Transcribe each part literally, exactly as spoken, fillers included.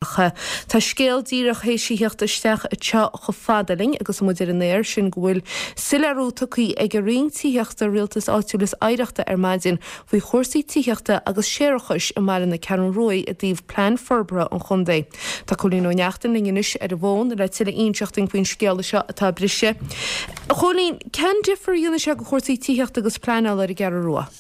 Tá scéal díreach théis a theacht isteach anseo chomh fada linn agus muid ar an aer sin go bhfuil soiléiriú tugtha ag an Roinn Tithíochta Rialtais Áitiúil is Oidhreachta ar maidin faoi chúrsaí tithíochta agus séarachais i mbaile na Ceathrún Rua i dtaobh plean forbartha an chontae. Tá Cóilín Ó Neachtain linn anois ar an bhfón le tuilleadh a inseacht dúinn faoin scéal seo atá briste. Chóilín, cén difear a dhéanfaidh sé go chúrsaí tithíochta agus pleanála ar an gCeathrú Rua?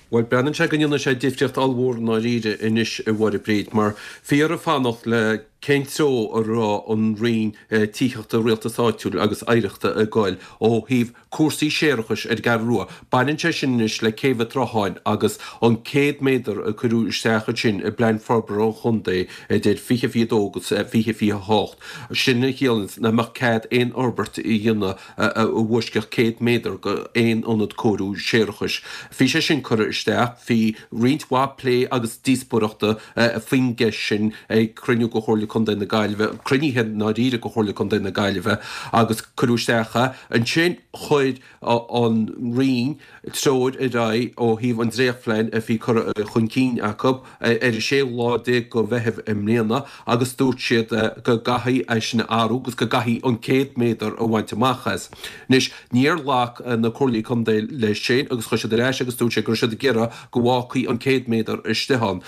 Bhuel, breathnaíonn sé go ndéanfaidh sé difríocht ollmhór i ndáiríre anois a Mháire Bríd, mar bhí orainn fanacht le cén treo a raibh an Roinn Tithíochta, Rialtais Áitiúil agus Oidhreachta ag goil ó thaobh cúrsaí séarachais ar an gCeathrú Rua. Baineann sé sin anois le Céibh an tSrutháin agus an céad méadar a cuireadh isteach ansin i bPlean Forbartha an Chontae idir fiche fiche dó agus fiche fiche hocht. Sin a chiallaíonn nach mbeadh cead aon fhorbairt a dhéanamh a bhaisceadh céad méadar go aon ionad cóiriú séarachais. Bhí sé sin curtha isteach, bhí roinnt mhaith plé agus díospóireachta faoin gceist sin ag cruinniú de Chomhairle Contae na Gaillimhe, cruinnithe i ndáiríre de Chomhairle Contae na Gaillimhe agus cuireadh isteach é. Ansin chuir an Roinn treoir ar aghaidh ó thaobh an dréachtphlean a bhí curtha chun cinn acu ar an séú lá déag de Mheitheamh i mbliana agus dúirt siad go gcaithfí é sin a athrú agus go gcaithfí an céad méadar a bhaint amach as. Anois, níor ghlac na Comhairlí Contae leis sin agus chuir siad ar ais agus dúirt siad go raibh siad ag iarraidh go bhfágfaí an céad méadar istigh ann.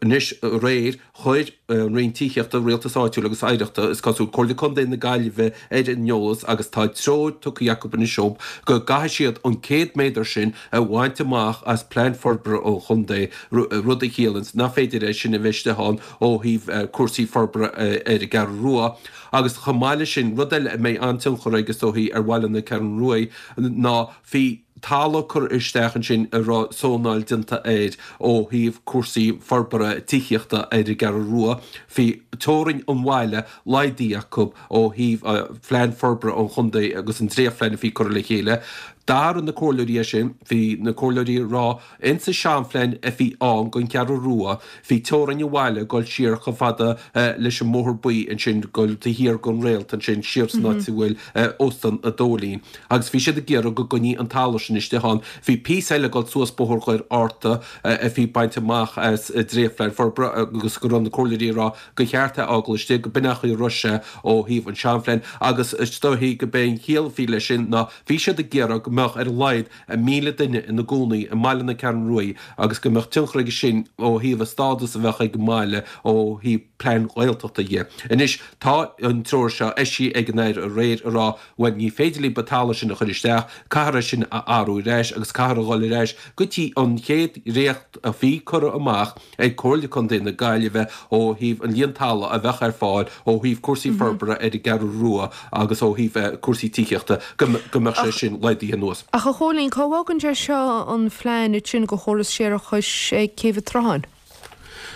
Anois, aréir, chuir an Roinn Tithíochta, Rialtais Áitiúil agus Oidhreachta, is cosúil, Comhairle Contae na Gaillimhe ar an eolas agus tá treoir tugtha acu anois dóibh go gcaithfidh siad an céad méadar sin a bhaint amach as Plean Forbartha an Chontae, rud a chiallaíonns nach féidir é sin a bheith istigh ann ó thaobh cúrsaí forbartha ar an gCeathrú Rua. Agus chomh maith leis sin, rud eile a mbeidh an-tionchar aige is dóichí ar bhaile na Ceathrún Rua ná bhí talamh curtha isteach ansin a raibh zónáil déanta air ó thaobh cúrsaí forbartha tithíochta ar an gCeathrú Rua. Bhí teorainn an bhaile laghdaithe acu ó thaobh phlean forbartha an chontae agus an dréachtphlean a bhí curtha le chéile. D'athraigh na comhairleoirí é sin. Bhí na comhairleoirí ag rá insa seanphlean a bhí ann don Cheathrú Rua, bhí teorainn an bhaile ag dul siar chomh fada leis an mBóthar Buí ansin, dul taobh thiar den Réalt ansin, siar san áit a bhfuil Óstán an Dóilín. Agus bhí siad ag iarraidh go gcoinní an talamh sin istigh ann. Bhí píosa eile ag dul suas Bóthar Dhoire Fhearta a bhí bainte amach as dréachtphlean forbartha agus go raibh na comhairleoirí ag rá gur cheart é a fhágáil istigh, go b'in an chaoi a raibh sé ó thaobh an seanphlean agus is dóichí go b'é an chiall a bhí leis sin ná bhí siad ag iarraidh go mbeadh ar a laghad míle duine ina gcónaí i mbaile na Ceathrún Rua agus go mbeadh tionchar aige sin ó thaobh an stádas a bheadh ag an mbaile ó thaobh plean Gaeltachta dhe. Anois tá an treoir seo eisithe ag an Aire aréir ag rá bhuel ní féidir libh an talamh sin a chur isteach, caithfear é sin a athrú ar ais agus caithfear a dhul ar ais go dtí an chéad dhréacht a bhí curtha amach ag Comhairle Contae na Gaillimhe ó thaobh an líon talamh a bheadh ar fáil ó thaobh cúrsaí forbartha ar an gCeathrú Rua agus ó thaobh cúrsaí tithíochta go mbeadh sé sin laghdaithe anuas. Ach a Chóilín, cá bhfágann sé seo an phlean ansin do chóras séarachais ag Céibh an tSrutháin?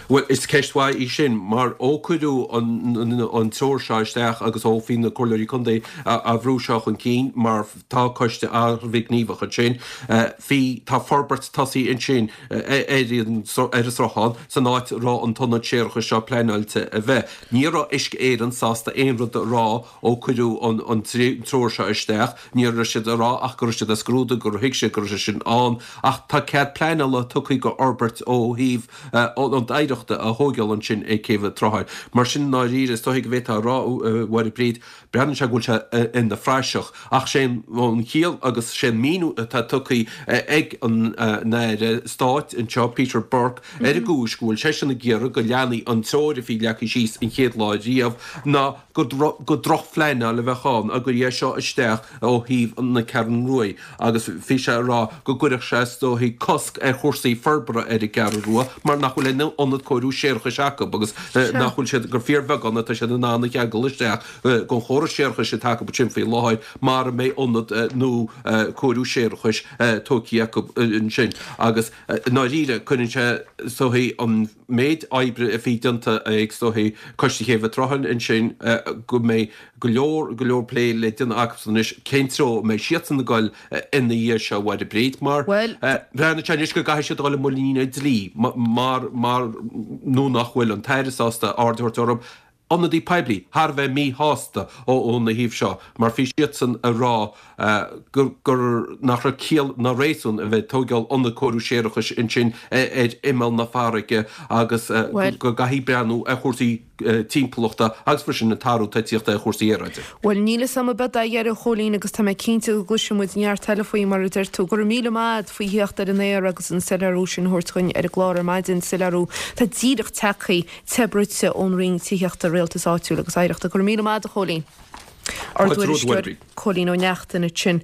Bhuel, is ceist mhaith í sin, mar ó cuireadh an treoir seo isteach agus ó bhí na Comhairleoirí Contae á bhrú seo chun cinn, mar tá coiste an-ghníomhach ansin, bhí, tá forbairt tosaithe ansin ar an sruthán san áit a raibh an t-ionad séarachais seo pleanáilte a bheith. Ní raibh Uisce Éireann sásta aon rud a rá ó cuireadh an treoir seo isteach. Ní raibh siad ag rá ach go raibh siad á scrúdú, gur thuig siad go raibh sé sin ann. Ach tá cead pleanála tugtha do fhorbairt ó thaobh ionad oidhreachta a thóigeáil ansin ag Céibh an tSrutháin. Mar sin, i ndáiríre, is dóichí go bhféadfá a rá, a Mháire Bríd, breathnaíonn sé go bhfuil sé ina phraiseach. Ach sé an chiall agus sé an míniú atá tugtha ag an Aire Stáit anseo, Peter Burke, ar an gcúis go bhfuil seisean ag iarraidh go leanfaí an treoir a bhí leagtha síos an chéad lá riamh ná gur drochphleanáil a bheadh ann dá gcuirfí é seo isteach ó thaobh na Ceathrún Rua agus bhí sé ag rá go gcuirfeadh sé is dóichí cosc ar chúrsaí forbartha ar an gCeathrú Rua mar nach bhfuil aon ionad cóiriú séarachais acu agus nach bhfuil siad, gur fíorbheagán atá siad in ann a cheangal isteach den chóras séarachais atá acu ansin faoi láthair mara mbeidh ionad nua cóiriú séarachais tógtha acu ansin agus i ndáiríre cuireann sé is dóichí an méid oibre a bhí déanta ag is dóichí Coiste Chéibh an tSrutháin ansin go mbeidh go leor, go leor plé le déanamh acusan anois cén treo a mbeidh siadsan ag dul ina dhiaidh seo a Mháire Bríd mar breathnaíonn sé anois go gcaithfidh siad a dhul i muinín an dlí mar, mar nó nach bhfuil an tAire sásta aird a thabhairt orthu. Ionadaí poiblí thar a bheith míshásta óna thaobh seo mar bhí siadsan ag rá gur gur nach raibh ciall ná réasún a bheith ag tóigeáil ionad cóiriú séarachais ansin ar imeall na farraige agus go gcaithfí breathnú ar chúrsaí timpeallachta agus freisin an t-athrú atá ag tíocht ar chúrsaí aeráide. Bhuel níl fhios agam an mbeidh a dheireadh a Chóilín agus tá mé cinnte go gcloisfidh muid neart eile faoi mar a deir tú. Go raibh míle maith agat faoi theacht ar an aer agus an soiléiriú sin a thabhairt chugainn ar an gclár ar maidin, soiléiriú atá díreach tagtha te bruite ón Roinn Tithíochta, Rialtais Áitiúil agus Oidhreachta. Go raibh míle maith agat a Chóilín. Ár dtuairisceoir Cóilín Ó Neachtain ansin.